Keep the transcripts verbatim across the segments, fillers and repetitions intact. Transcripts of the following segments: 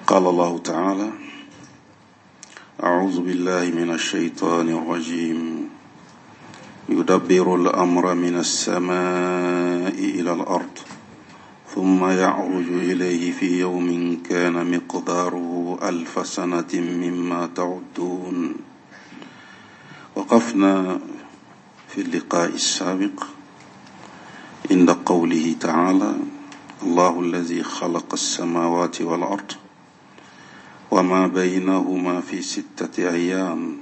قال الله تعالى: أعوذ بالله من الشيطان الرجيم. يدبر الأمر من السماء إلى الأرض ثم يعرج إليه في يوم كان مقداره ألف سنة مما تعدون. وقفنا في اللقاء السابق عند قوله تعالى: الله الذي خلق السماوات والأرض وما بينهما في ستة أيام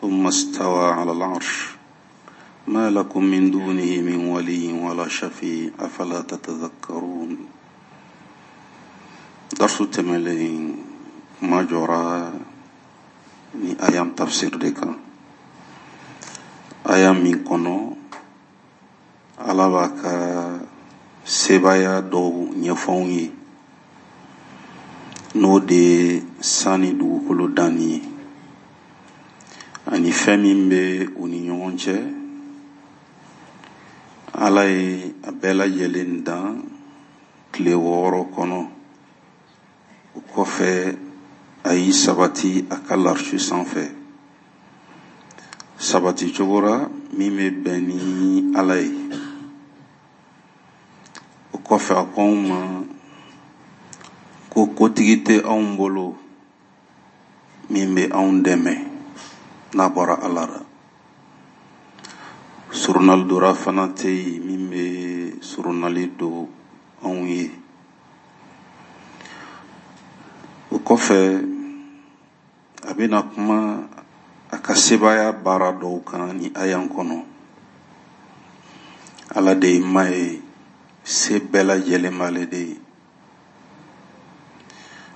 ثم استوى على العرش ما لكم من دونه من ولي ولا شفيع أفلا تتذكرون. درس تملين ما جرى ni ayam tafsir deka ayam min kono ala b'a ka sebaaya dɔw ɲɛfɔ anw ye, n'o de ye san ni dugukolo danni ye ani fɛn min bɛ u ni ɲɔgɔn cɛ. Ala ye a bɛɛ lajɛlen dan tile wɔɔrɔ kɔnɔ. O kɔfɛ a y'i sabati a ka larisu sanfɛ, sabati cogo la min bɛ bɛn ni Ala ye. O kɔfɛ a ko anw ma ko kotigi tɛ anw bolo min bɛ anw dɛmɛ n'a bɔra Ala la. Surunali dora fana tɛ yen min bɛ surunali don anw ye. O kɔfɛ a bɛna kuma a ka sebaaya baara dɔw kan ni ayan kɔnɔ. Ala de ye maa ye, se bɛɛ lajɛlen b'ale de ye.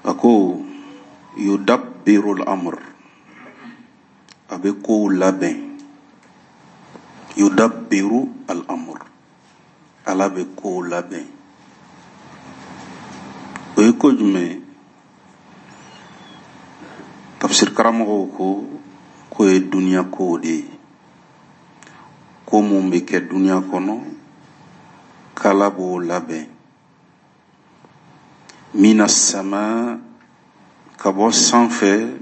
A ko yudabbirul amr, a bɛ kow labɛn. Yudabbiru al-amr, Ala bɛ kow labɛn. O ye ko jumɛn ye? Tafsir karamɔgɔw ko k'o ye duniya kow de ye, ko mun bɛ kɛ duniya kɔnɔ k'Ala b'o labɛn. Mina sama, ka bɔ sanfɛ,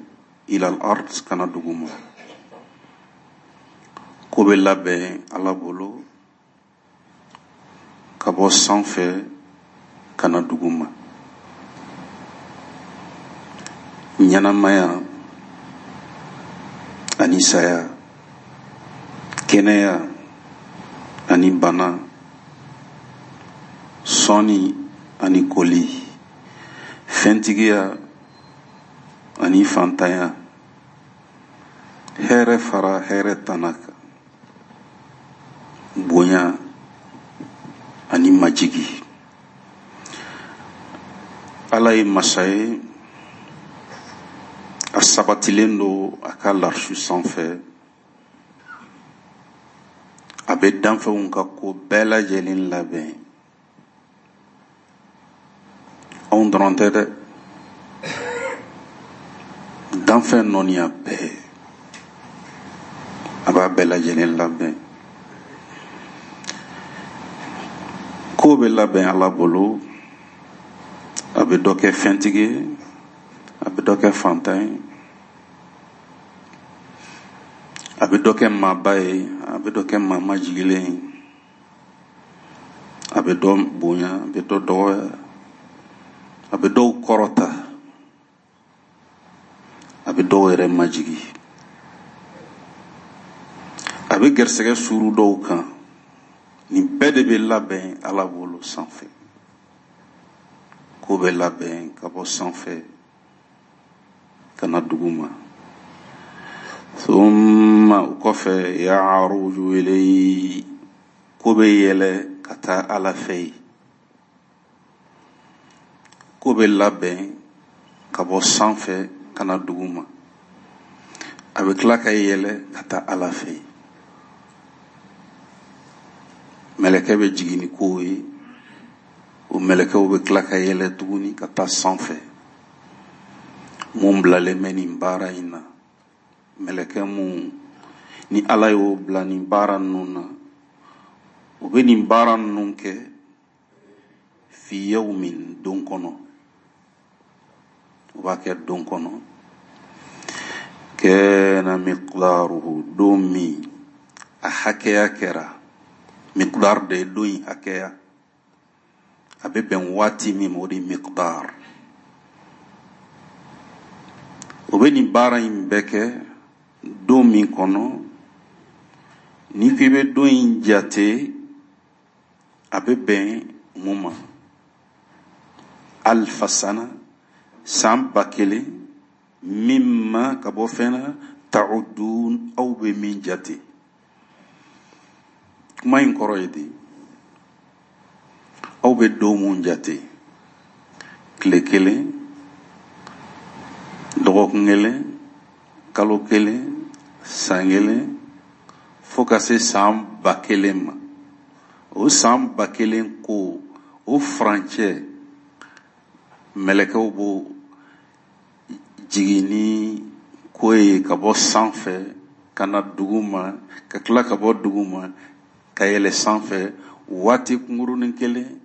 ila al-ard, ka na duguma. Ko bɛ labɛn Ala bolo ka bɔ sanfɛ ka na duguma. Ɲɛnamaya ani saya, kɛnɛya ani bana, sɔnni ani koli, fɛntigiya ani fantanya, hɛrɛ fara hɛrɛ tana kan, bonya ani majigi. Ala ye masa ye, a sabatilen don a ka larisu sanfɛ. A bɛ danfɛnw ka ko bɛɛ lajɛlen labɛn. Anw dɔrɔn tɛ dɛ, danfɛn nɔniya bɛɛ a b'a bɛɛ lajɛlen labɛn. Ko bɛ labɛn Ala bolo, a bɛ dɔ kɛ fɛntigi ye, a bɛ dɔ kɛ fantan ye, a bɛ dɔ kɛ maaba ye, a bɛ dɔ kɛ maa majigilen ye, a bɛ dɔ bonya, a bɛ dɔ dɔgɔya, a bɛ dɔw kɔrɔta, a bɛ dɔw yɛrɛ majigi, a bɛ gɛrisigɛ suuru dɔw kan. Nin bɛɛ de bɛ labɛn Ala bolo sanfɛ. Ko bɛ labɛn ka bɔ sanfɛ ka na duguma. Thumma, o kɔfɛ, ya'ruju ilayhi, ko bɛ yɛlɛ ka taa Ala fɛ yen. Ko bɛ labɛn ka bɔ sanfɛ ka na duguma, a bɛ tila ka yɛlɛ ka taa Ala fɛ yen. Mɛlɛkɛ bɛ jigin ni kow ye, o mɛlɛkɛw bɛ tila ka yɛlɛ tuguni ka taa sanfɛ. Mun bilalen bɛ nin baara in na, mɛlɛkɛ mun ni Ala y'o bila nin baara ninnu na, o bɛ nin baara ninnu kɛ fi yawmin, don kɔnɔ. O b'a kɛ don kɔnɔ kana miqdaruhu don min a hakɛya kɛra miqdar de ye don in hakɛya a bɛ bɛn waati min ma o de ye miqdar o bɛ nin baara in bɛɛ kɛ don min kɔnɔ n'i ko i bɛ don in jate a bɛ bɛn mun ma alfa sana san ba kelen mimma ka bɔ fɛn na ta'udun aw bɛ min jate kuma in kɔrɔ ye di aw bɛ don mun jate tile kelen dɔgɔkun kelen kalo kelen san kelen fo ka se san ba kelen ma o san ba kelen ko o furancɛ mɛlɛkɛw b'o jigin ni ko ye ka bɔ sanfɛ ka na dugu ma ka tila ka bɔ dugu ma ka yɛlɛ sanfɛ waati kunkurunin kelen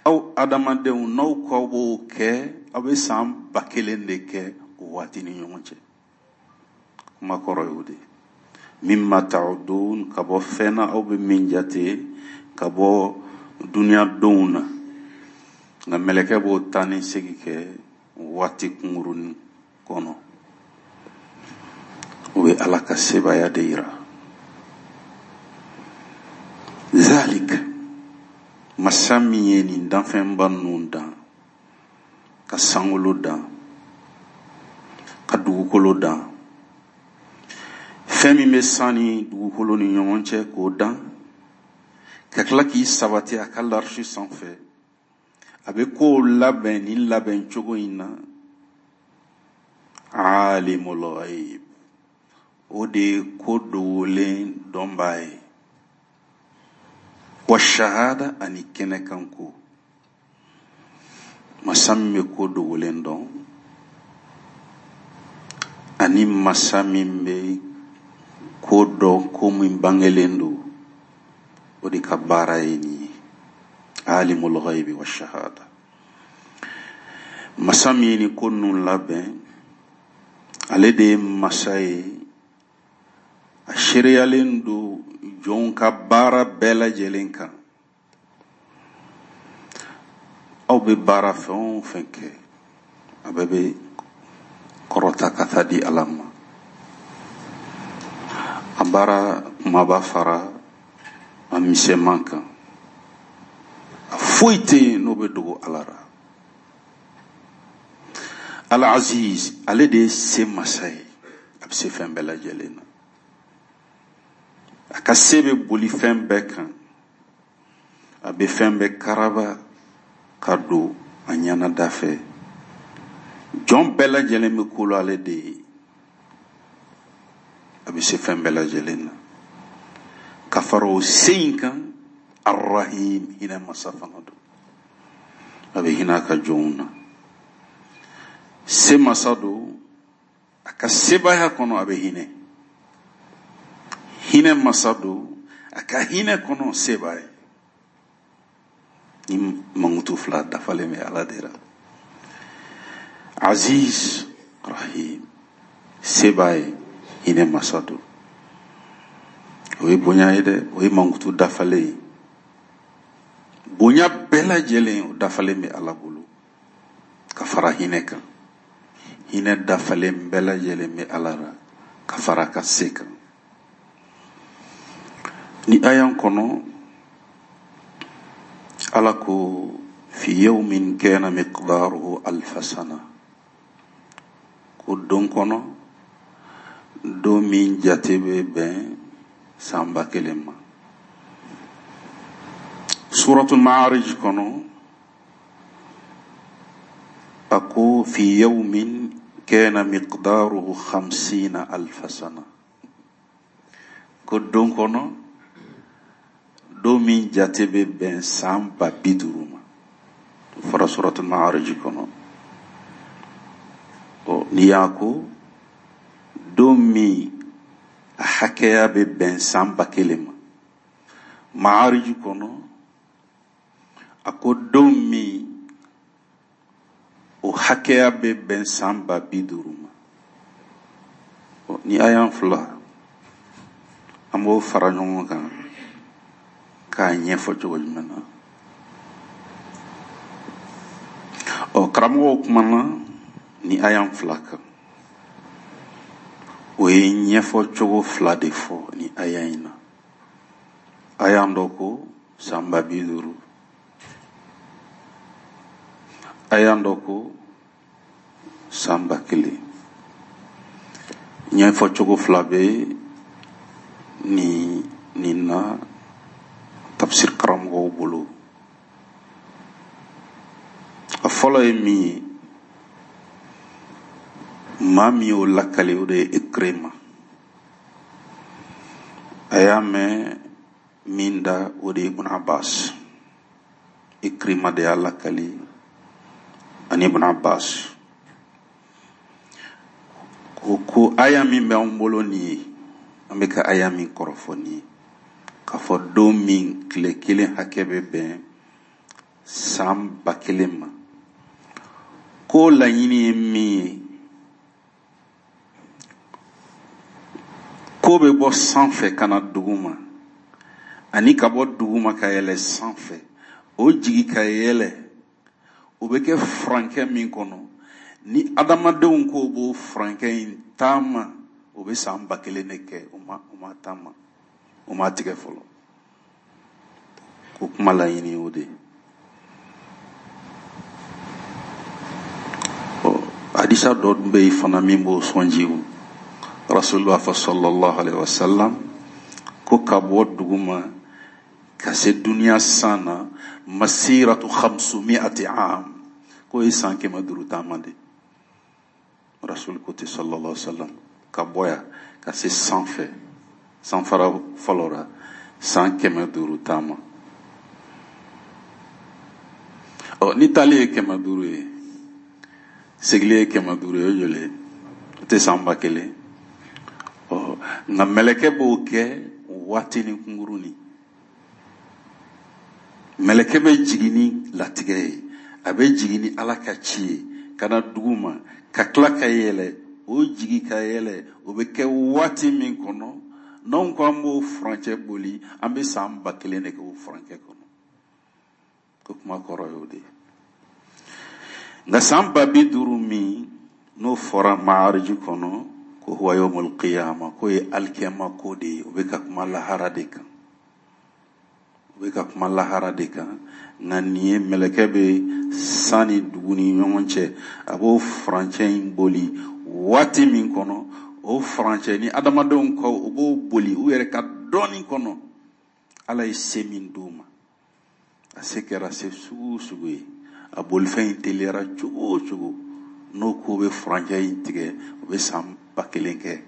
aw adamadenw n'aw k'aw b'o kɛ aw bɛ san ba kelen de kɛ o waati ni ɲɔgɔn cɛ kuma kɔrɔ y'o de ye mimma ta'udun ka bɔ fɛn na aw bɛ min jate ka bɔ duniya donw na nka mɛlɛkɛ b'o taa ni segin kɛ waati kunkurunin kɔnɔ o bɛ Ala ka sebaaya de yira zalik masa min ye nin danfɛnba ninnu dan ka sankolo dan ka dugukolo dan fɛn min bɛ san ni dugukolo ni ɲɔgɔn cɛ k'o dan ka tila k'i sabati a ka larisi sanfɛ a bɛ kow labɛn nin labɛn cogo in na alimul ghaib o de ye ko dogolen dɔnbaa ye wa shahada ani kɛnɛkan ko masa min bɛ ko dogolen dɔn ani masa min bɛ ko dɔn ko min bangelen don o de ka baara ye nin ye alimul ghaibi wa shahada masa min ye nin ko ninnu labɛn ale de ye masa ye a seereyalen don jɔnw ka baara bɛɛ lajɛlen kan aw bɛ baara fɛn o fɛn kɛ a bɛɛ bɛ kɔrɔta ka taa di Ala ma a baara kumaba fara a misɛnman kan a foyi tɛ yen n'o bɛ dogo Ala la Al-Aziz ale de ye se masa ye a bɛ se fɛn bɛɛ lajɛlen na a ka se bɛ boli fɛn bɛɛ kan a bɛ fɛn bɛɛ karaba ka don a ɲɛnada fɛ jɔn bɛɛ lajɛlen bɛ ko la ale de ye a bɛ se fɛn bɛɛ lajɛlen na ka fara o se in kan Ar-Rahim hinɛ masa fana don a bɛ hinɛ a ka jɔnw na se masa don a ka sebaaya kɔnɔ a bɛ hinɛ hinɛ masa don a ka hinɛ kɔnɔ se b'a ye ni mankutu fila dafalen bɛ Ala de la Aziz Rahim se b'a ye hinɛ masa don o ye bonya ye dɛ o ye mankutu dafalen ye bonya bɛɛ lajɛlen o dafalen bɛ Ala bolo ka fara hinɛ kan hinɛ dafalen bɛɛ lajɛlen bɛ Ala la ka fara a ka se kan ni aya kɔnɔ Ala ko fi yawmin kana miqdaruhu alfa sana ko don kɔnɔ don min jate bɛ bɛn san ba kelen ma suratul ma'arij kɔnɔ a ko fi yawmin kana miqdaruhu khamsina alfa sana ko don kɔnɔ don min jate bɛ bɛn san ba bi duuru ma o fɔra suratul ma'arij kɔnɔ ɔ n'i y'a ko don min a hakɛya bɛ bɛn san ba kelen ma ma'arij kɔnɔ a ko don min O hakɛya bɛ bɛn san ba bi duuru ma. Ni aya fila an b'o fara ɲɔgɔn kan k'a ɲɛfɔ cogo jumɛn na? Ɔ, karamɔgɔw kumana ni aya fila kan, o ye ɲɛfɔ cogo fila de fɔ ni aya in na. Aya dɔ ko san ba bi duuru, aya dɔ ko san ba kelen. Ɲɛfɔ cogo fila bɛ ni nin na tafsir karamɔgɔw bolo. A fɔlɔ ye min ye, maa min y'o lakali, o de ye Ikrima. A y'a mɛn min da, o de ye Ibn Abbas. Ikrima de y'a lakali ani Ibn Abbas. Ko ko aya min bɛ anw bolo nin ye, an bɛ ka aya min kɔrɔfɔ nin ye, k'a fɔ don min tile kelen hakɛ bɛ bɛn san ba kelen ma, ko laɲini ye min ye, ko bɛ bɔ sanfɛ ka na dugu ma, ani ka bɔ dugu ma ka yɛlɛ sanfɛ, o jigi ka yɛlɛ, o bɛ kɛ furankɛ min kɔnɔ, ni adamadenw ko b'o furankɛ in taama, o bɛ san ba kelen de kɛ, o ma o ma taama, o ma tigɛ fɔlɔ. Ko kuma laɲini o de ye. Ɔ, hadisa dɔ dun bɛ yen fana min b'o sɔnji. Rasul b'a fɔ sallallahu alaihi wasallam ko ka bɔ dugu ma ka se duniya san na, masiratu khamsumi'ati am, k'o ye san kɛmɛ duuru taama de. Rasul ko ten sallallahu alaihi wasallam, ka bɔ yan ka se sanfɛ, sanfara fɔlɔ la, san kɛmɛ duuru taama. Ɔ, ni taali ye kɛmɛ duuru ye, segili ye kɛmɛ duuru ye, o ye joli ye? O tɛ san ba kelen. Ɔ, nka mɛlɛkɛ b'o kɛ waati ni kunkurunin. Mɛlɛkɛ bɛ jigin ni latigɛ ye, a bɛ jigin ni Ala ka ci ye ka na dugu ma, ka tila ka yɛlɛ, o jigi ka yɛlɛ, o bɛ kɛ waati min kɔnɔ, n'anw ko an b'o furancɛ boli, an bɛ san ba kelen de kɛ o furancɛ kɔnɔ. Ko kuma kɔrɔ y'o de ye. Nka san ba bi duuru min n'o fɔra Maariji kɔnɔ, ko huwa yawmul qiyama, k'o ye alikiyama ko de ye, o bɛ ka kuma lahara de kan. O bɛ ka kuma lahara de kan. Nka nin ye mɛlɛkɛ bɛ san ni dugu ni ɲɔgɔn cɛ, a b'o furancɛ in boli waati min kɔnɔ, o furancɛ ni adamadenw kɔ, o b'o boli u yɛrɛ ka dɔɔnin kɔnɔ. Ala ye se min d'u ma, a se kɛra se sugu o sugu ye, a bolifɛn in teliyara cogo o cogo, n'o ko bɛ furancɛ in tigɛ, o bɛ san ba kelen kɛ.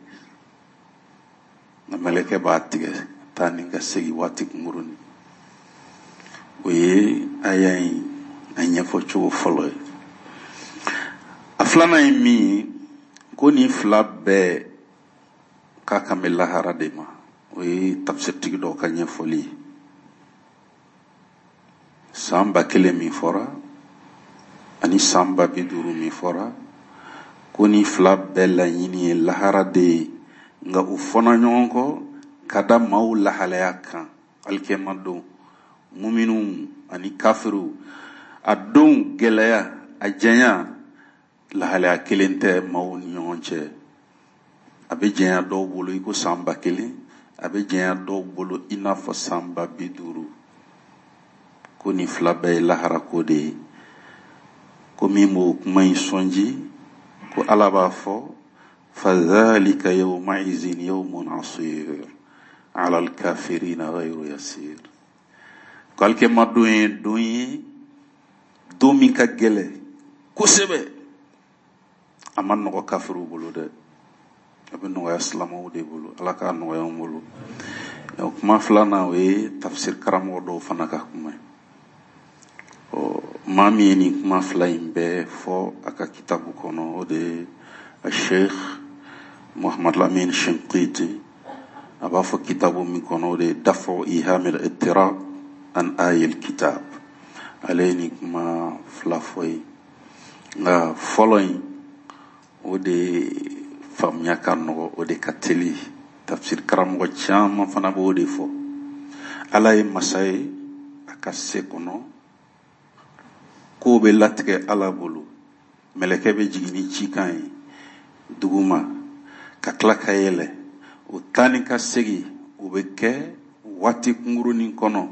Nka mɛlɛkɛ b'a tigɛ taa ni ka segin waati kunkurunin. O ye aya in a ɲɛfɔ cogo fɔlɔ ye. A filanan ye min ye, ko nin fila bɛɛ k'a kan bɛ lahara de ma. O ye tafsirtigi dɔw ka ɲɛfɔli ye. San ba kelen min fɔra ani san ba bi duuru min fɔra, ko nin fila bɛɛ laɲini ye lahara de ye, nka u fɔna ɲɔgɔn kɔ ka da maaw lahalaya kan alikiyama don, muminuw ani kafiriw. A don gɛlɛya, a janya, lahalaya kelen tɛ maaw ni ɲɔgɔn cɛ. A bɛ janya dɔw bolo i ko san ba kelen, a bɛ janya dɔw bolo i n'a fɔ san ba bi duuru. Ko nin fila bɛɛ ye lahara ko de ye. Ko min b'o kuma in sɔnji, ko Ala b'a fɔ fadhalika yawmaizin yawmun asir ala alkafirina ghayru yasir. Ko alikiyama don ye don ye, don min ka gɛlɛ kosɛbɛ. A ma nɔgɔ kafiriw bolo dɛ, a bɛ nɔgɔya silamɛw de bolo. Ala k'a nɔgɔya anw bolo. O kuma filanan, o ye tafsir karamɔgɔ dɔw fana ka kuma ye. Ɔ, maa min ye nin kuma fila in bɛɛ fɔ a ka kitabu kɔnɔ, o de ye Sheikh Muhammad Lamin Shinqiti. A b'a fɔ kitabu min kɔnɔ, o de ye Dafu Ihamil Ittirab an Ayil Kitab. Ale ye nin kuma fila fɔ ye. Nka fɔlɔ in o de faamuya ka nɔgɔ, o de ka teli. Tafsir karamɔgɔ caman fana b'o de fɔ. Ala ye masa ye a ka se kɔnɔ, kow bɛ latigɛ Ala bolo. Mɛlɛkɛ bɛ jigin ni cikan ye duguma ka tila ka yɛlɛ, o taa ni ka segin o bɛ kɛ waati kunkurunin kɔnɔ.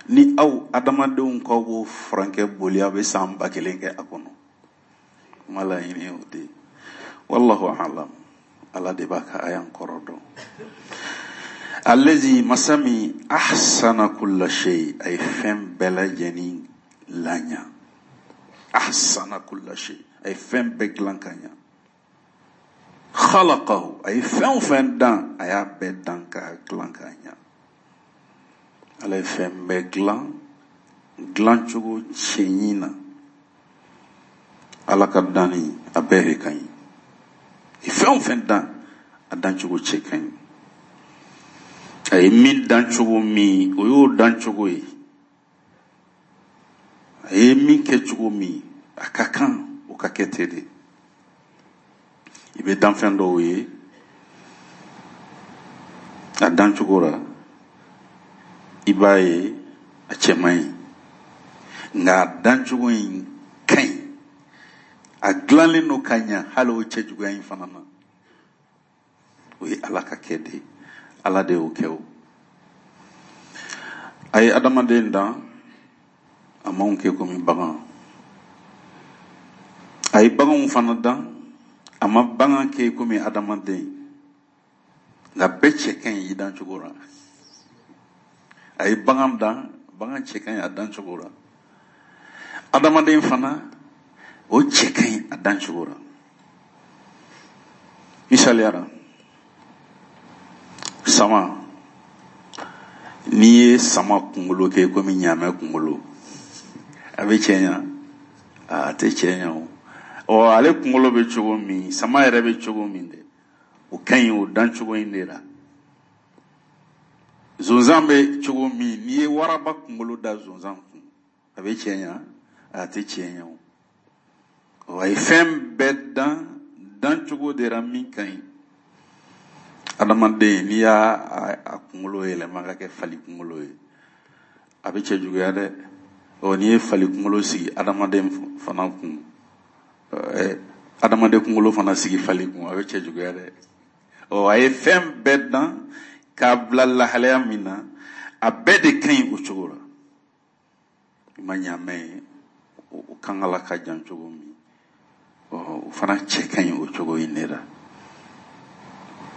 Ni aw adamadenw k'aw b'o furankɛ boli, aw bɛ san ba kelen kɛ a kɔnɔ. Kuma laɲini o de ye. Wallahu alam, Ala de b'a ka ayan kɔrɔ dɔn. Allazi masa min ahsana kulla shay, a ye fɛn bɛɛ lajɛlen laɲa. Ahsana kulla shay, a ye fɛn bɛɛ dilan ka ɲa. Khalaqahu, a ye fɛn o fɛn dan, a y'a bɛɛ dan k'a dilan ka ɲa. Ala ye fɛn bɛɛ dilan dilancogo cɛɲi na. Ala ka danni a bɛɛ de ka ɲi. Fɛn o fɛn dan, a dancogo cɛ ka ɲi. A ye min dancogo min, o y'o dancogo ye. A ye min kɛ cogo min, a ka kan o ka kɛ ten de. I bɛ danfɛn dɔw ye a dancogo la, i b'a ye a cɛ man ɲi, nka a dancogo in ka ɲi, a dilanlen don ka ɲa hali o cɛjuguya in fana na. O ye Ala ka kɛ de ye, Ala de y'o kɛ. O a ye adamaden dan, a m'anw kɛ komi bagan. A ye baganw fana dan, a ma bagan kɛ komi adamaden, nka bɛɛ cɛ ka ɲi i dancogo la. A ye bagan dan, bagan cɛ ka ɲi a dancogo la. Adamaden fana o cɛ ka ɲi a dancogo la. Misaliya la, sama, n'i ye sama kunkolo kɛ komi ɲaamɛ kunkolo, a bɛ cɛ ɲa? A tɛ cɛ ɲa o. Ɔ ale kunkolo bɛ cogo min, sama yɛrɛ bɛ cogo min dɛ, o ka ɲi o dancogo in de la. Zonzan bɛ cogo min, n'i ye waraba kunkolo da zonzan kun, a bɛ cɛ ɲa? A tɛ cɛ ɲa o. Ɔ a ye fɛn bɛɛ dan dancogo de la min ka ɲi. Adamaden, n'i y'a a kunkolo yɛlɛma ka kɛ fali kunkolo ye, a bɛ cɛ juguya dɛ. Ɔ n'i ye fali kunkolo sigi adamaden fana kun, ɛɛ adamaden kunkolo fana sigi fali kun, a bɛ cɛ juguya dɛ. Ɔ a ye fɛn bɛɛ dan k'a bila lahalaya min na, a bɛɛ de ka ɲi o cogo la. I ma ɲaamɛ ye, o kankala ka jan cogo min, ɔ o fana cɛ ka ɲi o cogo in de la.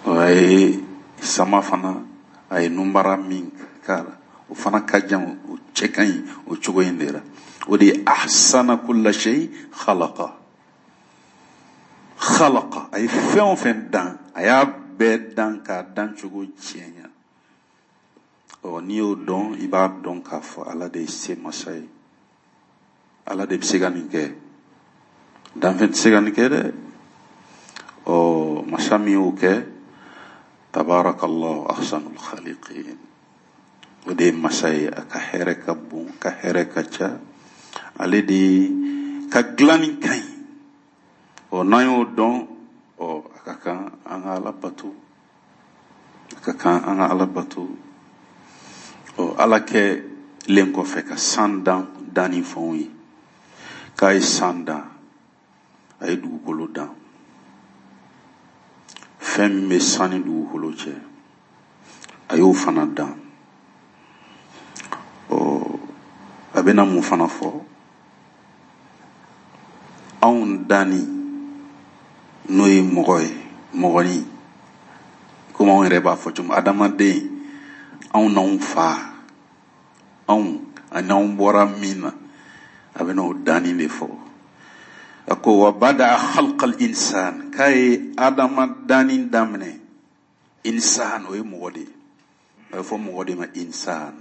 Ɔ a ye sama fana, a ye nunbara min k'a la, o fana ka jan, o cɛ ka ɲi o cogo in de la. O de ye ahsana kulla shay khalaqa. Khalaqa, a ye fɛn o fɛn dan, a y'a bɛɛ dan k'a dan cogo cɛɲa. Ɔ n'i y'o dɔn, i b'a dɔn k'a fɔ Ala de ye se masa ye. Ala de bɛ se ka nin kɛ, danfɛn tɛ se ka nin kɛ dɛ. Ɔ masa min y'o kɛ, tabarakallahu ahsanul khaliqin, o de ye masa ye. A ka hɛrɛ ka bon, ka hɛrɛ ka ca, ale de ka dilanni ka ɲi. Ɔ n'an y'o dɔn, ɔ a ka kan an ka Ala bato, a ka kan an ka Ala bato. Ɔ Ala kɛlen kɔfɛ ka san dan danni fɛnw ye, k'a ye san dan, a ye dugukolo dan. Fɛn min bɛ san ni dugukolo cɛ, a y'o fana dan. Ɔ a bɛna mun fana fɔ? Anw danni, n'o ye mɔgɔ ye, mɔgɔnin, komi anw yɛrɛ b'a fɔ cogo min, adamaden, anw n'anw fa, anw ani anw bɔra min na, a bɛna o danni de fɔ. A ko wa bada khalqal insan, k'a ye adama danni daminɛ. Insan, o ye mɔgɔ de ye. A bɛ fɔ mɔgɔ de ma insan.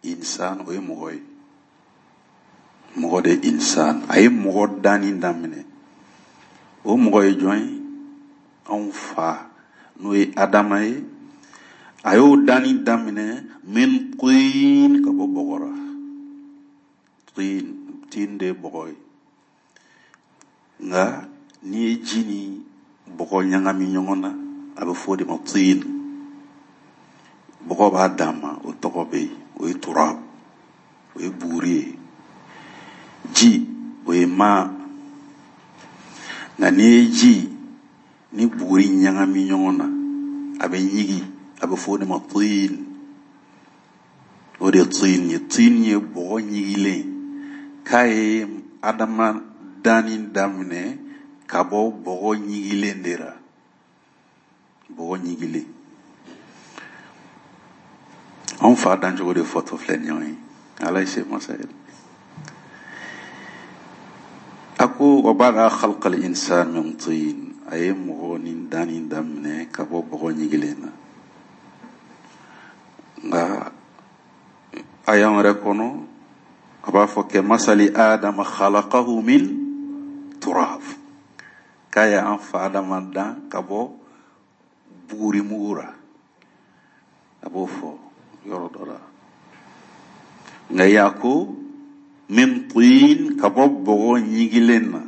Insan, o ye mɔgɔ ye. Mɔgɔ de ye insan. A ye mɔgɔ danni daminɛ. O mɔgɔ ye jɔn ye? Anw fa, n'o ye Adama ye. A y'o danni daminɛ min tin, ka bɔ bɔgɔ la. Tin, tin de ye bɔgɔ ye. Nka n'i ye ji ni bɔgɔ ɲagami ɲɔgɔn na, a bɛ fɔ o de ma tin. Bɔgɔ b'a dan ma, o tɔgɔ bɛ yen, o ye turab, o ye buguri ye. Ji, o ye ma. Nka n'i ye ji ni buguri ɲagami ɲɔgɔn na, a bɛ ɲigi, a bɛ fɔ o de ma tin. O de ye tin ye. Tin ye bɔgɔ ɲigilen k'a ye adama danni daminɛ ka bɔ bɔgɔ ɲigilen de la. Bɔgɔ ɲigilen. Anw fa dancogo de fɔtɔ filɛ nin ye. Ala ye se masa ye. A ko wa bada khalqal insan min tin. A ye mɔgɔ ni danni daminɛ ka bɔ bɔgɔ ɲigilen na. Nka aya wɛrɛ kɔnɔ a b'a fɔ kɛ masali adama khalaqahu min turab, k'a ye an fa adama dan ka bɔ buguri mugu la. A b'o fɔ yɔrɔ dɔ la. Nka y'a ko min tin, ka bɔ bɔgɔ ɲigilen na.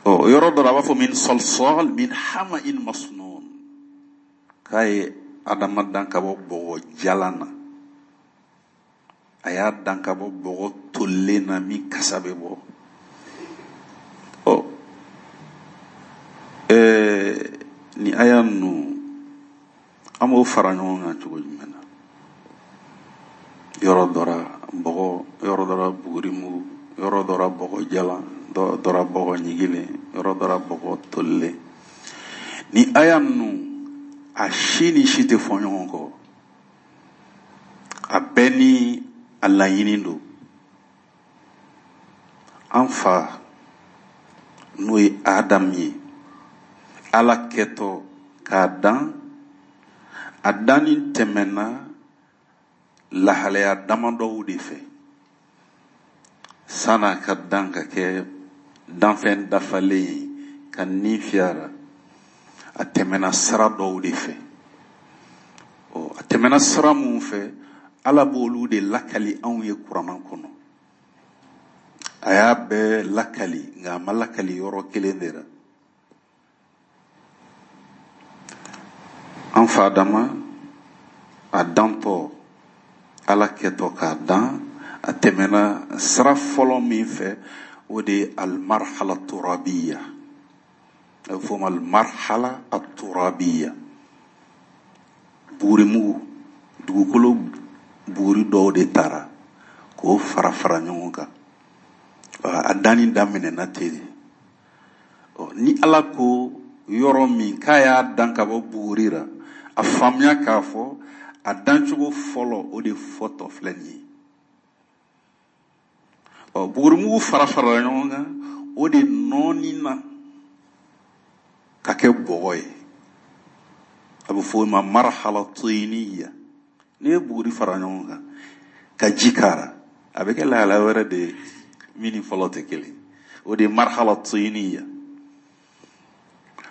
Ɔ yɔrɔ dɔ la a b'a fɔ min salsal min hama'in masnun, k'a ye adama dan ka bɔ bɔgɔ jalan na. A y'a dan ka bɔ bɔgɔ tolilen na min kasa bɛ bɔ. Ɔ ɛɛ ni aya ninnu an b'o fara ɲɔgɔn kan cogo jumɛn na? Yɔrɔ dɔ la bɔgɔ, yɔrɔ dɔ la buguri mugu, yɔrɔ dɔ la bɔgɔ jalan, dɔ la bɔgɔ ɲigilen, yɔrɔ dɔ la bɔgɔ tolilen. Ni aya ninnu a si ni si tɛ fɔ ɲɔgɔn kɔ. A bɛɛ ni a laɲini don. An fa n'o ye Adam ye, Ala kɛtɔ k'a dan, a danni tɛmɛna lahalaya damadɔw de fɛ san'a ka dan ka kɛ danfɛn dafalen ye ka ni fiyara. A tɛmɛna sira dɔw de fɛ. Ɔ a tɛmɛna sira mun fɛ, Ala b'olu de lakali anw ye kuranna kɔnɔ. A y'a bɛɛ lakali, nka a ma lakali yɔrɔ kelen de la. An fa Adama a dantɔ, Ala kɛtɔ k'a dan, a tɛmɛna sira fɔlɔ min fɛ, o de ye almarhala turabiya. A bɛ fɔ o ma almarhala aturabiya. Bugurimugu, dugukolo buguri dɔw de taara k'o fara fara ɲɔgɔn kan. A danni daminɛna ten de. Ɔ ni Ala ko yɔrɔ min k'a y'a dan ka bɔ buguri la, a faamuya k'a fɔ a dancogo fɔlɔ o de fɔtɔ filɛ nin ye. Ɔ bugurimugu fara farala ɲɔgɔn kan, o de nɔɔni na ka kɛ bɔgɔ ye. A bɛ fɔ o ma marhala tiniya. N'i ye buguri fara ɲɔgɔn kan ka ji k'a la, a bɛ kɛ lahalaya wɛrɛ de ye min ni fɔlɔ tɛ kelen. O de ye marhala tiniya.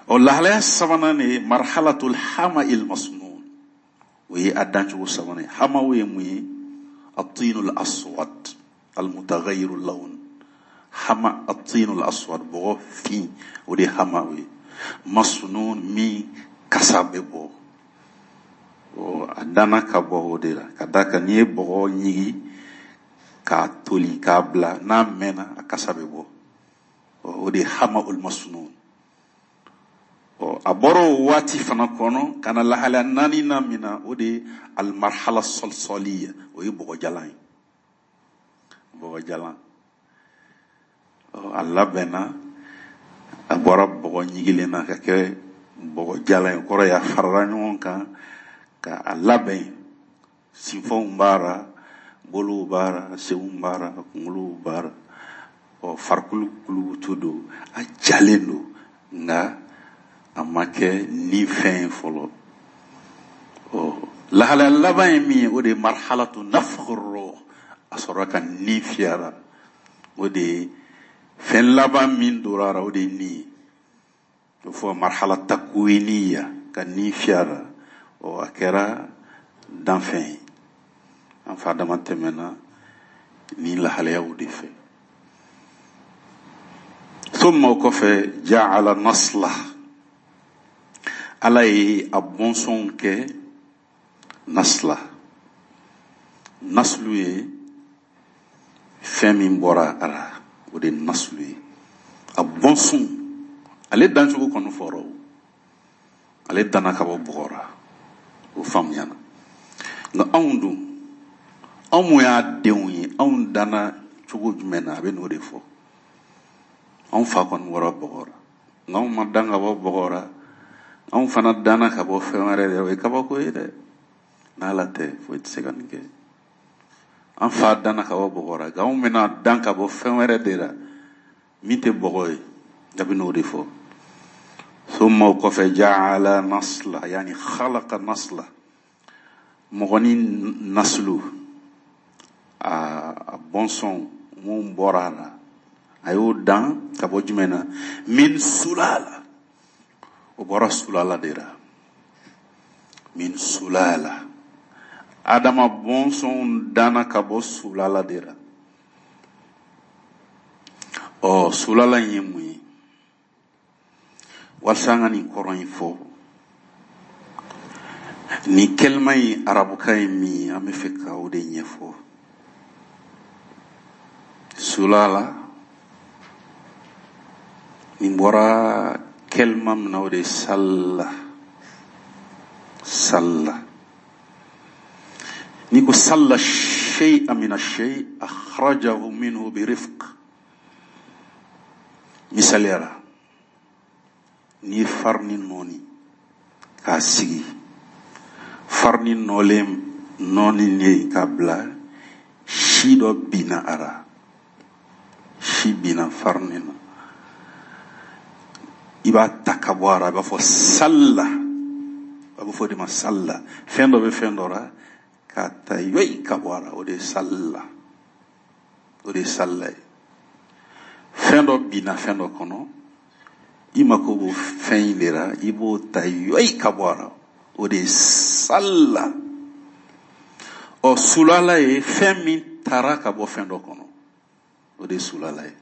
Ɔ lahalaya sabanan de ye marhalatul hama'il masnun. O ye a dancogo sabanan ye. Hamaw ye mun ye? At-tinul aswad al-mutaghayyiru lawn. Hama at-tinul aswad, bɔgɔ fin, o de ye hamaw ye. Masnun, min kasa bɛ bɔ. Ɔ a danna ka bɔ o de la. Ka d'a kan n'i ye bɔgɔ ɲigi k'a toli k'a bila, n'a mɛnna a kasa bɛ bɔ. Ɔ o de ye hama'ul masnun. Ɔ a bɔra o waati fana kɔnɔ ka na lahalaya naani na min na, o de ye almarhala salsaliya, o ye bɔgɔjalan ye. Bɔgɔjalan. Ɔ a labɛnna, a bɔra bɔgɔ ɲigilen na ka kɛ bɔgɔjalan ye. Kɔrɔ ye a farala ɲɔgɔn kan ka a labɛn. Sinfɔnw b'a la, bolow b'a la, senw b'a la, kunkolow b'a la. Ɔ farikolo kulukutu don, a jalen don, nka a ma kɛ ni fɛn ye fɔlɔ. Ɔ lahalaya laban ye min ye, o de ye marhalatu nafkhi ruh. A sɔrɔla ka ni fiyara. O de ye fɛn laban min dora a la, o de ye ni ye. O fɔ marhala takwiniya, ka ni fiyara. Ɔ a kɛra danfɛn ye. An fa Adama tɛmɛna ni lahalayaw de fɛ. Summa o kɔfɛ ja'ala nasla, Ala ye a bɔnsɔnw kɛ nasla. Naslu ye fɛn min bɔra a la, o de ye naslu ye. A bɔnsɔn, ale dancogo kɔni fɔra o, ale danna ka bɔ bɔgɔ la, o faamuyana. Nka anw dun, anw mun y'a denw ye, anw danna cogo jumɛn na, a bɛ n'o de fɔ. Anw fa kɔni bɔra bɔgɔ la, nka anw ma dan ka bɔ bɔgɔ la, anw fana danna ka bɔ fɛn wɛrɛ de la. O ye kabako ye dɛ, n'Ala tɛ foyi tɛ se ka nin kɛ. An fa danna ka bɔ bɔgɔ la, nka anw bɛna dan ka bɔ fɛn wɛrɛ de la min tɛ bɔgɔ ye. A bɛ n'o de fɔ. Summa o kɔfɛ ja'ala nasla, yani khalaqa nasla, mɔgɔ ni naslu, a bɔnsɔn mun bɔra a la, a y'o dan ka bɔ jumɛn na? Min sulala, o bɔra sulala de la. Min sulala, Adama bɔnsɔnw danna ka bɔ sulala de la. Ɔ, sulala in ye mun ye? Walasa an ka nin kɔrɔ in fɔ, nin kɛlima in arabukan ye min ye, an bɛ fɛ ka o de ɲɛfɔ. Sulala nin bɔra kɛlima min na, o de ye salla. Salla, n'i ko salla shay'a min ash-shay akhrajahu minhu bi rifq. Misaliya la, n'i ye farini nɔɔni k'a sigi, farini nɔɔlen nɔɔni ye k'a bila, si dɔ binna a la, si binna farini na, i b'a ta ka bɔ a la, a b'a fɔ salla, a bɛ fɔ o de ma salla. Fɛn dɔ bɛ fɛn dɔ la k'a ta yoyi ka bɔ a la, o de ye salla, o de ye salla ye. Fɛn dɔ binna fɛn dɔ kɔnɔ, i mako b'o fɛn in de la, i b'o ta yoyi ka bɔ a la, o de ye salla. Ɔ, sulala ye fɛn min taara ka bɔ fɛn dɔ kɔnɔ, o de ye sulala ye.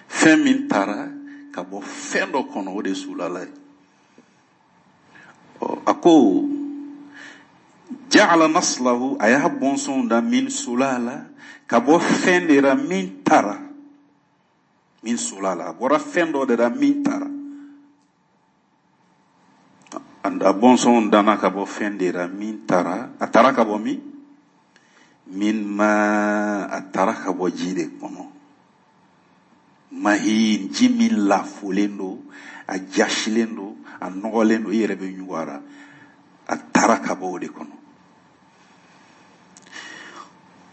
Fɛn min taara ka bɔ fɛn dɔ kɔnɔ, o de ye sulala ye. Ɔ, a ko ja'ala naslahu, a y'a bɔnsɔnw da min sulala, ka bɔ fɛn de la min taara. Min sulala, a bɔra fɛn dɔ de la min taara. A bɔnsɔnw danna ka bɔ fɛn de la min taara. A taara ka bɔ min? Min ma, a taara ka bɔ ji de kɔnɔ. Mahin, ji min lafolen don, a jasilen don, a nɔgɔlen don, i yɛrɛ bɛ ɲugu a la. A taara ka bɔ o de kɔnɔ.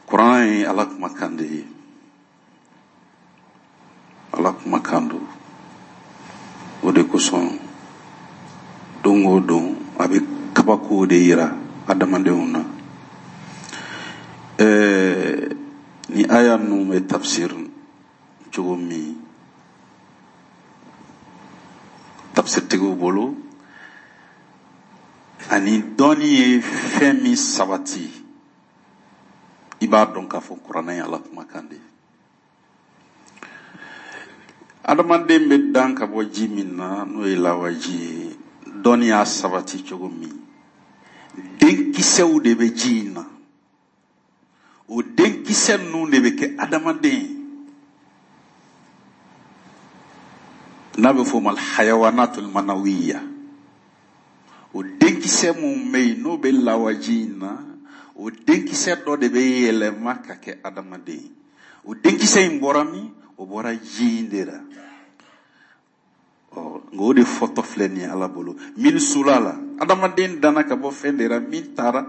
Kuran ye Ala kumakan de ye. Ala kumakan don. O de kosɔn don o don a bɛ kabako de yira adamadenw na. Ɛɛ, ni aya ninnu bɛ tafsir cogo min tafsirtigiw bolo, ani dɔnni ye fɛn min sabati, i b'a dɔn k'a fɔ kuranɛ ye Ala kumakan de ye. Adamaden bɛ dan ka bɔ ji min na, n'o ye lawaji ye, dɔnni y'a sabati cogo min, denkisɛw de bɛ ji in na. O denkisɛ ninnu de bɛ kɛ adamaden ye. N'a bɛ f'o ma alhayawanatul manawiya. O denkisɛ mun bɛ yen n'o bɛ lawaji in na, o denkisɛ dɔ de bɛ yɛlɛma ka kɛ adamaden ye. O denkisɛ in bɔra min? O bɔra ji in de la. Ɔ, nka o de fɔtɔ filɛ nin ye Ala bolo. Min sulala, adamaden danna ka bɔ fɛn de la min taara,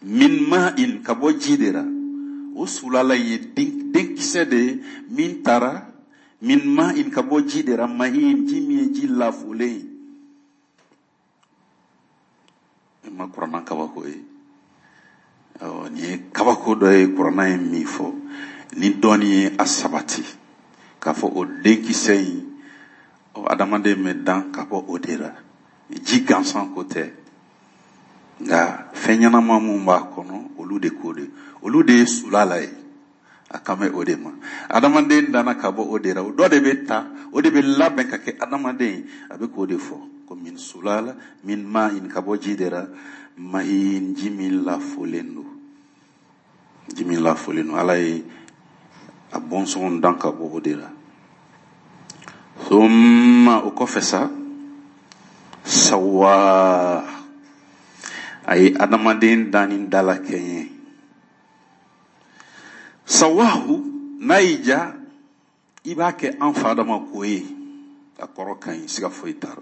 min ma'in, ka bɔ ji de la. O sulala in ye denkisɛ de ye min taara, min ma'in, ka bɔ ji de la, mahin, ji min ye ji lafolen ye. I ma kuranna kabako ye. Ɔ, nin ye kabako dɔ ye kuranna ye min fɔ, ni dɔnni ye a sabati k'a fɔ o denkisɛ in, ɔ, adamaden bɛ dan ka bɔ o de la. Ji gansan ko tɛ, nka fɛn ɲɛnama mun b'a kɔnɔ, olu de ko de, olu de ye sulala ye. A kan bɛ o de ma. Adamaden danna ka bɔ o de la, o dɔ de bɛ ta, o de bɛ labɛn ka kɛ adamaden ye. A bɛ k'o de fɔ ko min sulala min ma'in, ka bɔ ji de la, mahin, ji min lafolen don, ji min lafolen don. Ala ye a bɔnsɔn dan ka bɔ o de la. Thumma, o kɔfɛ sa, sawa, a ye adamaden danni dalakɛɲɛ. Sawahu, n'a y'i diya i b'a kɛ an fa Adama ko ye, a kɔrɔ ka ɲi, siga foyi t'a la.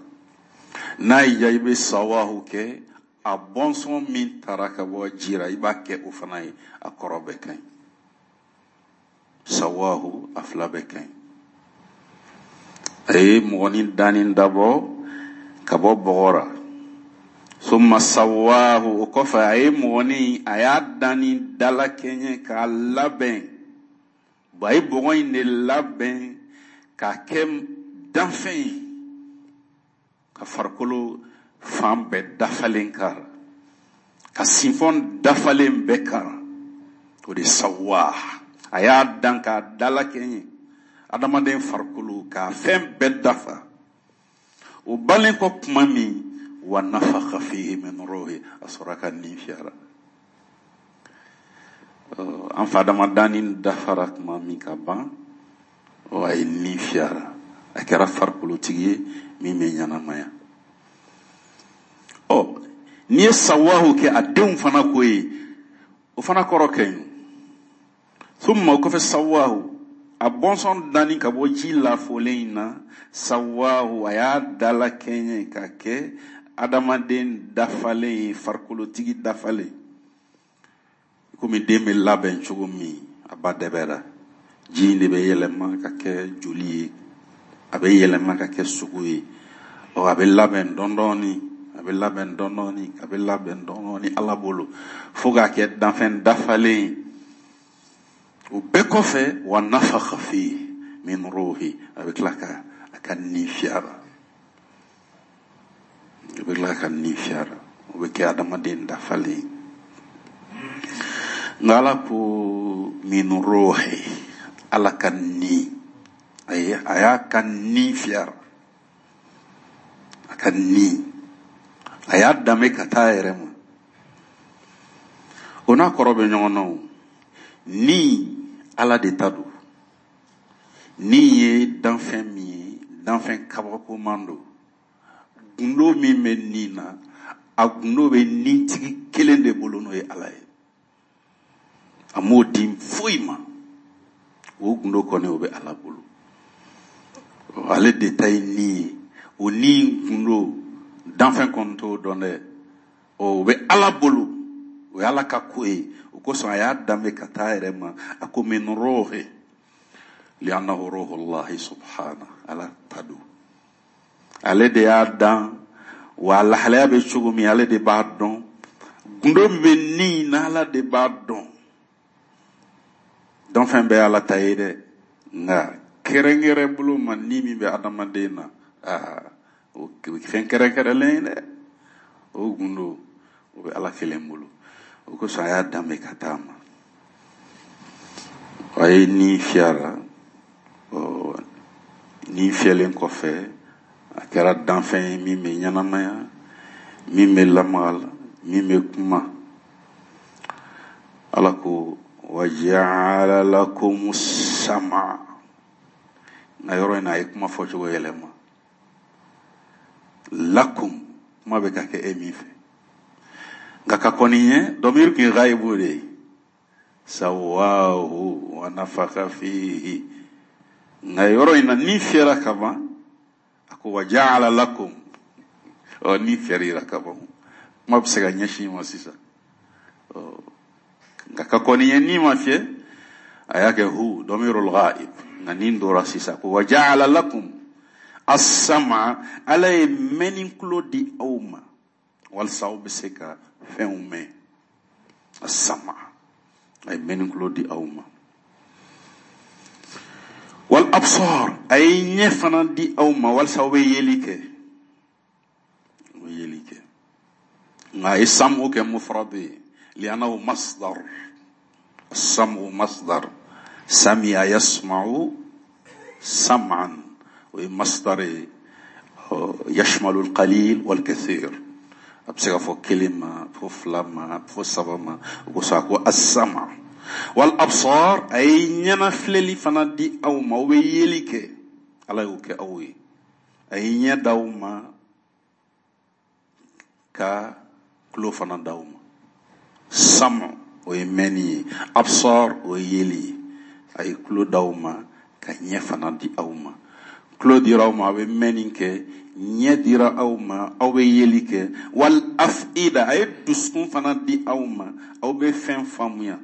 N'a y'i diya i bɛ sawahu kɛ a bɔnsɔn min taara ka bɔ ji la, i b'a kɛ o fana ye, a kɔrɔ bɛɛ ka ɲi. Sawahu, a fila bɛɛ ka ɲi. A ye mɔgɔnin danni dabɔ ka bɔ bɔgɔ la. Summa sawahu, o kɔfɛ a ye mɔgɔnin, a y'a danni dalakɛɲɛ k'a labɛn. A ye bɔgɔ in de labɛn k'a kɛ danfɛn ye, ka farikolo fan bɛɛ dafalen k'a la, ka sinfɔn dafalen bɛɛ k'a la. O de sawa, a y'a dan k'a dalakɛɲɛ, adamaden farikolo k'a fɛn bɛɛ dafa. O balen kɔ tuma min, wa nafakha fihi min ruhi, a sɔrɔ ka nin fiyara. An fa Adama danni dafara tuma min ka ban, a ye nin fiyara, a kɛra farikolotigi ye min bɛ ɲɛnamaya. Ɔ, n'i ye sawahu kɛ a denw fana ko ye, o fana kɔrɔ ka ɲi. Thumma, o kɔfɛ sawahu, a bɔnsɔn danni ka bɔ ji lafolen in na, sawahu, a y'a dalakɛɲɛ ka kɛ adamaden dafalen ye, farikolotigi dafalen. Komi den bɛ labɛn cogo min, a ba dɛbɛra, ji in de bɛ yɛlɛma ka kɛ joli ye, a bɛ yɛlɛma ka kɛ sogo ye. Ɔ, a bɛ labɛn dɔɔni, a bɛ labɛn dɔɔni, a bɛ labɛn dɔɔni Ala bolo, fo k'a kɛ danfɛn dafalen ye. O bɛɛ kɔfɛ, wa nafakha fihi min ruhi, a bɛ tila ka a ka nin fiyara, a bɛ tila ka nin fiyara, o bɛ kɛ adamaden dafalen ye. Nka Ala ko min ruhi, Ala ka ni, a y'a ka ni fiyara, a ka ni, a y'a danbe ka taa a yɛrɛ ma. O n'a kɔrɔ bɛ ɲɔgɔn na o. Ni Ala de ta don. Ni ye danfɛn min ye, danfɛn kabakoman don. Gundo min bɛ ni na, a gundo bɛ nitigi kelen de bolo, n'o ye Ala ye. A m'o di foyi ma, o gundo kɔni o bɛ Ala bolo. Ale de ta ye ni ye. O ni gundo danfɛn kɔni t'o dɔn dɛ. O bɛ Ala bolo, o ye Ala ka ko ye. O kosɔn a y'a danbe ka taa a yɛrɛ ma. A ko min ruhi, li'annahu ruhullahi subhana, Ala ta don. Ale de y'a dan, wa a lahalaya bɛ cogo min, ale de b'a dɔn. Gundo min bɛ ni na, Ala de b'a dɔn. Danfɛn bɛɛ ye Ala ta ye dɛ, nka kɛrɛnkɛrɛn bolo ma ni min bɛ adamaden na, aa, o fɛn kɛrɛnkɛrɛnlen ye dɛ. O gundo o bɛ Ala kelen bolo. O kosɔn a y'a danbe ka taa ma. A ye ni fiyara. Ɔ, ni fiyɛlen kɔfɛ, a kɛra danfɛn ye min bɛ ɲɛnamaya, min bɛ lamaga la, min bɛ kuma. Ala ko wa ja'ala lakumus sam'a. Nka yɔrɔ in na, a ye kuma fɔcogo yɛlɛma. Lakum, kuma bɛ ka kɛ e min fɛ. Nka ka kɔni ɲɛ, dɔmiri tun ye ghaibu de ye. Sawahu wa nafakha fihi. Nka yɔrɔ in na, ni fiyɛra ka ban, a ko wa ja'ala lakum. Ɔ, ni fiyɛra ka ban, kuma bɛ se ka ɲɛsin i ma sisan. Ɔ, nka ka kɔni ɲɛ, ni ma fiyɛ, a y'a kɛ hu damirul ghaib. Nka nin dora sisan ko wa ja'ala lakum as-sam'a, Ala ye mɛnni kulo di aw ma walasa aw bɛ se ka fɛnw mɛn. As-sam'a, a ye mɛnni kulo di aw ma. Wal absar, a ye ɲɛ fana di aw ma walasa aw bɛ yeli kɛ, aw bɛ yeli kɛ. Nka a ye sam'u kɛ mufrad ye, li'annahu masdar. As-sam'u masdar, Sami'a yasma'u sam'an, o ye masdar ye, yashmalu al-qalil wal-kathir. A bɛ se ka fɔ kelen ma, fɔ fila ma, fɔ saba ma. O kosɔn a ko as-sama. Wal absar, a ye ɲɛnafilɛli fana di aw ma, aw bɛ yeli kɛ, Ala y'o kɛ aw ye. A ye ɲɛ d'aw ma ka tulo fana d'aw ma. Sama o ye mɛnni ye, absar o ye yeli ye. A ye tulo d'aw ma ka ɲɛ fana di aw ma. Tulo dira aw ma, aw bɛ mɛnni kɛ, ɲɛ dira aw ma, aw bɛ yeli kɛ. Wal afida, a ye dusukun fana di aw ma, aw bɛ fɛn faamuya.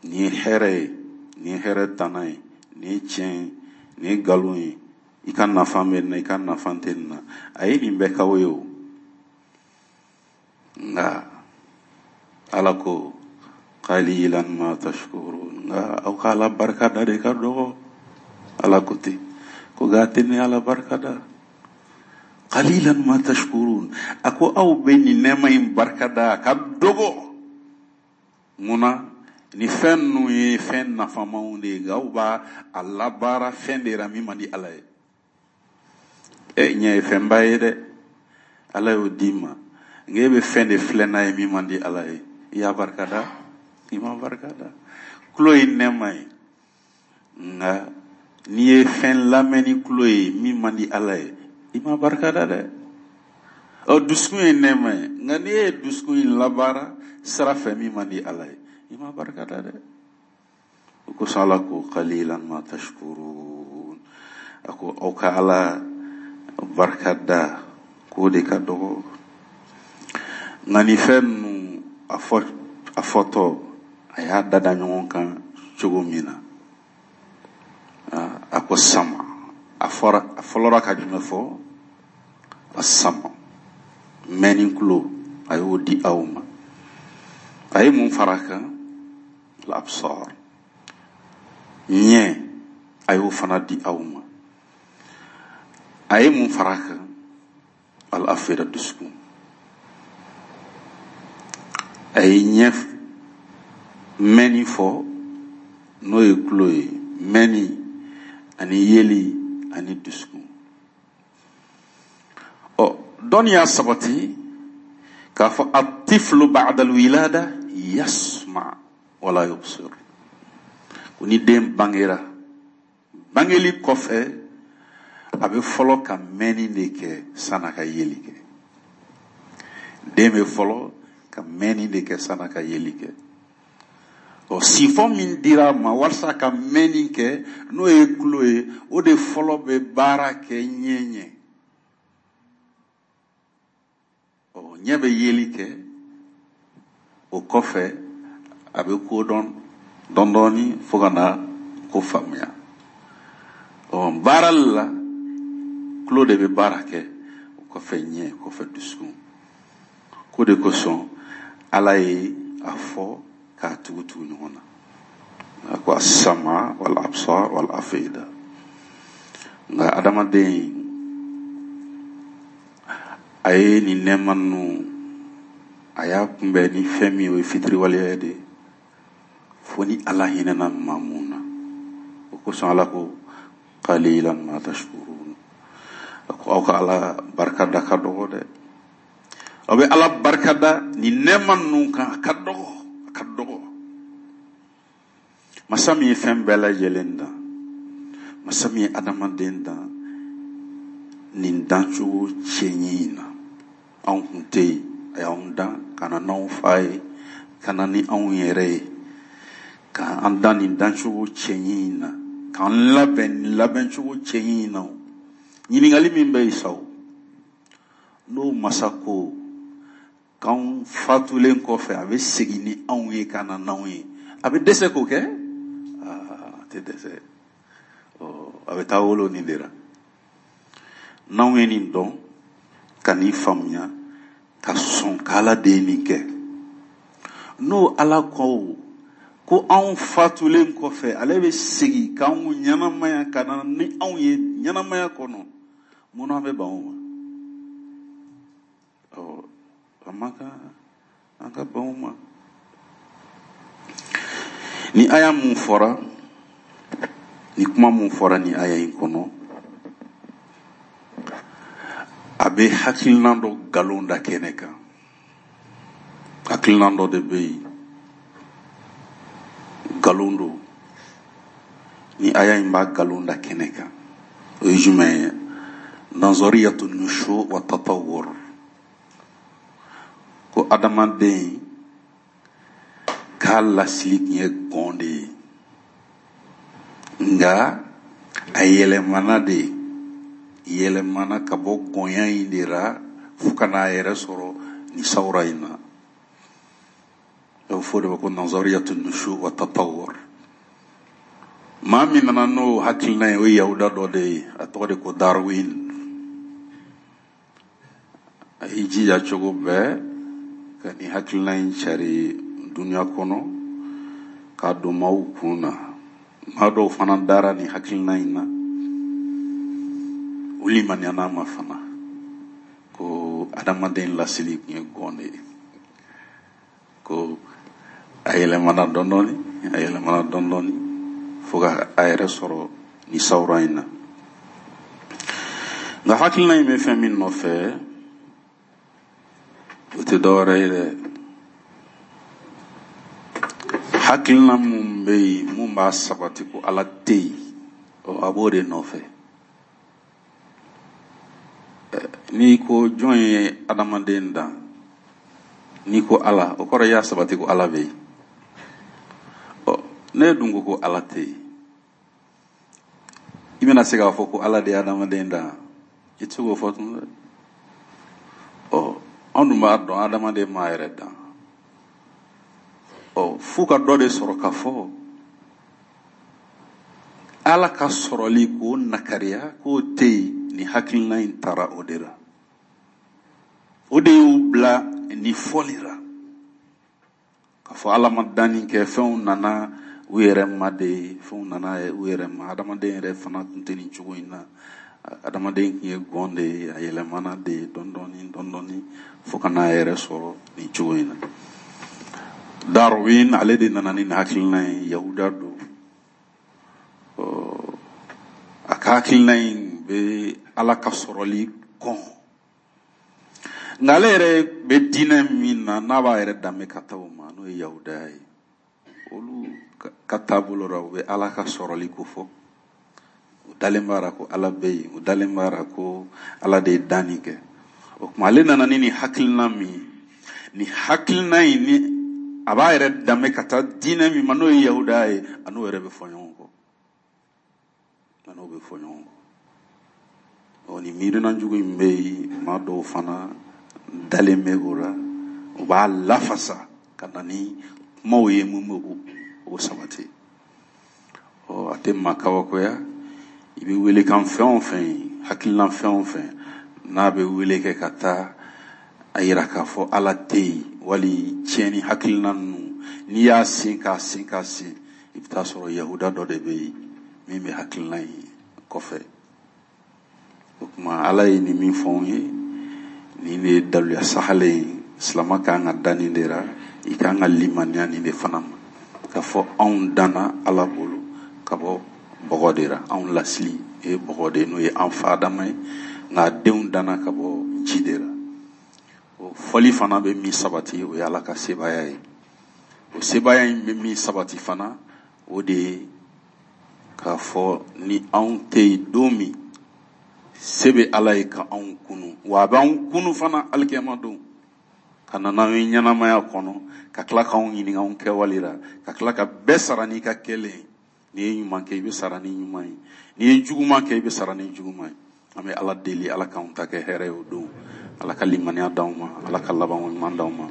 Nin ye hɛrɛ ye, nin ye hɛrɛ tana ye, nin ye tiɲɛ ye, nin ye nkalon ye, i ka nafa bɛ nin na, i ka nafa tɛ nin na. A ye nin bɛɛ k'aw ye o. Nka Ala ko qalilan ma tashkurun, nka aw ka Ala barika da de ka dɔgɔ. Ala ko ten ko nka a tɛ ne Ala barika da. Qalilan ma tashkurun, a ko aw bɛ nin nɛɛma in barika da a ka dɔgɔ. Mun na? Ni fɛn ninnu ye fɛn nafamaw de ye, nka aw b'a a labaara fɛn de la min man di Ala ye. E ɲɛ ye fɛnba ye dɛ, Ala y'o d'i ma, nka e bɛ fɛn de filɛ n'a ye min man di Ala ye. I y'a barika da, i ma barika da. Tulo ye nɛɛma ye, nka n'i ye fɛn lamɛn ni tulo ye min man di Ala ye, i ma barika da dɛ. Ɔ dusukun ye nɛɛma ye, nka n'i ye dusukun in labaara sira fɛ min man di Ala ye, i ma barika da dɛ. O kosɔn Ala ko qalilan ma tashkurun, a ko aw ka Ala barika da k'o de ka dɔgɔ. Nka nin fɛn ninnu a fɔ a fɔtɔ a y'a dada ɲɔgɔn kan cogo min na, a ko sama, a fɔra a fɔlɔra ka jumɛn fɔ? A sama, mɛnni tulo, a y'o di aw ma. A ye mun fara a kan? L'absar, ɲɛ, a y'o fana di aw ma. A ye mun fara a kan? Al-afida, dusukun. A ye ɲɛ mɛnni fɔ, n'o ye tulo ye, mɛnni ani yeli ani dusukun. Ɔ dɔnni y'a sabati k'a fɔ at-tiflu ba'da al-wilada yasma wala yubsir. Ko ni den bangera, bangeli kɔfɛ a bɛ fɔlɔ ka mɛnni de kɛ san'a ka yeli kɛ. Den bɛ fɔlɔ ka mɛnni de kɛ san'a ka yeli kɛ. Ɔ sifɔn min dira a ma walasa ka mɛnni kɛ, n'o ye tulo ye, o de fɔlɔ bɛ baara kɛ ɲɛ ɲɛ. Ɔ ɲɛ bɛ yeli kɛ, o kɔfɛ a bɛ ko dɔn dɔɔni dɔɔni fo ka na ko faamuya. Ɔ baara la tulo de bɛ baara kɛ, o kɔfɛ ɲɛ, o kɔfɛ dusukun. Ko de kosɔn Ala ye a fɔ k'a tugu tugu ɲɔgɔn na. A ko as-sama wal absar wal afida. Nka adamaden a ye nin nɛɛma ninnu a y'a kunbɛn ni fɛn min ye, o ye fitiriwaleya de ye, fo ni Ala hinɛna maa mun na. O kosɔn Ala ko qalilan ma tashkurun, a ko aw ka Ala barika da ka dɔgɔ dɛ. Aw bɛ Ala barika da nin nɛɛma ninnu kan, a ka dɔgɔ, a ka dɔgɔ. Masa min ye fɛn bɛɛ lajɛlen dan, masa min ye adamaden dan nin dancogo cɛɲi in na, anw kun tɛ yen, a y'anw dan ka na n'anw fa ye, ka na ni anw yɛrɛ ye, k'an dan nin dancogo cɛɲi in na, k'an labɛn nin labɛncogo cɛɲi in na. Ɲininkali min bɛ yen sa o, n'o masa ko k'anw fatulen kɔfɛ a bɛ segin ni anw ye ka na n'anw ye, a bɛ dɛsɛ k'o kɛ? Aa, a tɛ dɛsɛ. Ɔ a bɛ taa wolo nin de la. N'anw ye nin dɔn ka nin faamuya ka sɔn k'Ala de ye nin kɛ, n'o Ala ko ko anw fatulen kɔfɛ ale bɛ segin k'anw ɲɛnamaya ka na ni anw ye ɲɛnamaya kɔnɔ, mun na an bɛ ban o ma? Ɔ a man kan an ka ban o ma. Ni aya mun fɔra, ni kuma mun fɔra ni aya in kɔnɔ, a bɛ hakilina dɔ nkalon da kɛnɛ kan. Hakilina dɔ de bɛ yen, nkalon don. Ni aya in b'a nkalon da kɛnɛ kan, o ye jumɛn ye? Nazariyatu nushu wa tatawwur. Ko adamaden k'a lasili tun ye gɔn de ye, nka a yɛlɛmana de, yɛlɛmana ka bɔ gɔnya in de la fo ka n'a yɛrɛ sɔrɔ nin sawura in na. A bɛ fɔ o de ma ko nazariyatu nushu wa tatawwur. Maa min nana n'o hakilina ye, o ye yahuda dɔ de ye, a tɔgɔ de ko Darwin. A y'i jija cogo bɛɛ ka nin hakilina in cari dunuya kɔnɔ k'a don maaw kun na. Maa dɔw fana dara nin hakilina in na, u limaniyana ma fana ko adamaden lasili tun ye gɔn de ye, ko a yɛlɛmana dɔɔni dɔɔni, a yɛlɛmana dɔɔni dɔɔni fo ka a yɛrɛ sɔrɔ nin sawura in na. Nka hakilina in bɛ fɛn min nɔfɛ, o tɛ dɔwɛrɛ ye dɛ. Hakilina mun bɛ yen, mun b'a sabati ko Ala tɛ yen, ɔ a b'o de nɔfɛ. N'i ko jɔn ye adamaden dan, n'i ko Ala, o kɔrɔ i y'a sabati ko Ala bɛ yen. Ɔ ne dun ko ko Ala tɛ yen, i bɛna se k'a fɔ ko Ala de ye adamaden dan? I tɛ se k'o fɔ tun dɛ. Ɔ anw dun b'a dɔn adamaden m'a yɛrɛ dan. Ɔ f'u ka dɔ de sɔrɔ k'a fɔ Ala ka sɔrɔli k'o nakariya k'o tɛ yen, nin hakilina in taara o de la. O de y'u bila nin fɔli la, k'a fɔ Ala ma danni kɛ, fɛnw nana u yɛrɛ ma de, fɛnw nana u yɛrɛ ma. Adamaden yɛrɛ fana tun tɛ nin cogo in na. Adamaden tun ye gɔn de ye, a yɛlɛmana de dɔɔni dɔɔni dɔɔni dɔɔni fo ka n'a yɛrɛ sɔrɔ nin cogo in na. Darwin ale de nana ni nin hakilina ye, yahuda don. A ka hakilina in bɛ Ala ka sɔrɔli kɔn, nka ale yɛrɛ bɛ diinɛ min na, n'a b'a yɛrɛ danbe ka taa o ma, n'o ye yahudaya ye, olu ka taabolo la, u bɛ Ala ka sɔrɔli ko fɔ. U dalen b'a la ko Ala bɛ yen, u dalen b'a la ko Ala de ye danni kɛ. O tuma ale nana ni nin hakilina min ye, nin hakilina in ni a b'a yɛrɛ danbe ka taa diinɛ min ma, n'o ye yahudaya ye, a n'o yɛrɛ bɛ fɔ ɲɔgɔn kɔ, a n'o bɛ fɔ ɲɔgɔn kɔ. Ɔ nin miirina jugu in bɛ yen, maa dɔw fana dalen bɛ o la, u b'a lafasa ka na ni kumaw ye mun bɛ o sabati. Ɔ a tɛ maa kabakoya, i bɛ welekan fɛn o fɛn ye, hakilina fɛn o fɛn n'a bɛ wele kɛ ka taa a yira k'a fɔ Ala tɛ yen, wali tiɲɛni hakilina ninnu, n'i y'a sen k'a sen k'a sen, i bɛ taa sɔrɔ yahuda dɔ de bɛ yen min bɛ hakilina in kɔfɛ. O tuma Ala ye nin min fɔ anw ye, nin de ye daluya sahalen ye. Silama kan ka da nin de la, i kan ka limaniya nin de fana ma, k'a fɔ anw danna Ala bolo ka bɔ bɔgɔ de la, anw lasili ye bɔgɔ de ye, n'o ye an fa Adama ye, nka denw danna ka bɔ ji de la. O fɔli fana bɛ min sabati, o ye Ala ka sebaaya ye. O sebaaya in bɛ min sabati fana, o de ye k'a fɔ ni anw tɛ yen don min, se bɛ Ala ye ka anw kunu, wa a b'anw kunu fana alikiyama don, ka na n'anw ye ɲɛnamaya kɔnɔ, ka tila k'anw ɲininka anw kɛwale la, ka tila ka bɛɛ sara n'i ka kɛlen ye. N'i ye ɲuman kɛ, i bɛ sara ni ɲuman ye, n'i ye juguman kɛ, i bɛ sara ni juguman ye. An bɛ Ala deli, Ala k'anw ta kɛ hɛrɛ ye o don, Ala ka limaniya d'anw ma, Ala ka labanko ɲuman d'anw ma.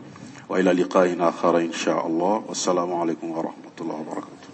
Wa ila liqa'in akhara insha Allah. Wassalamu alaikum wa rahmatullahi wa barakatuh.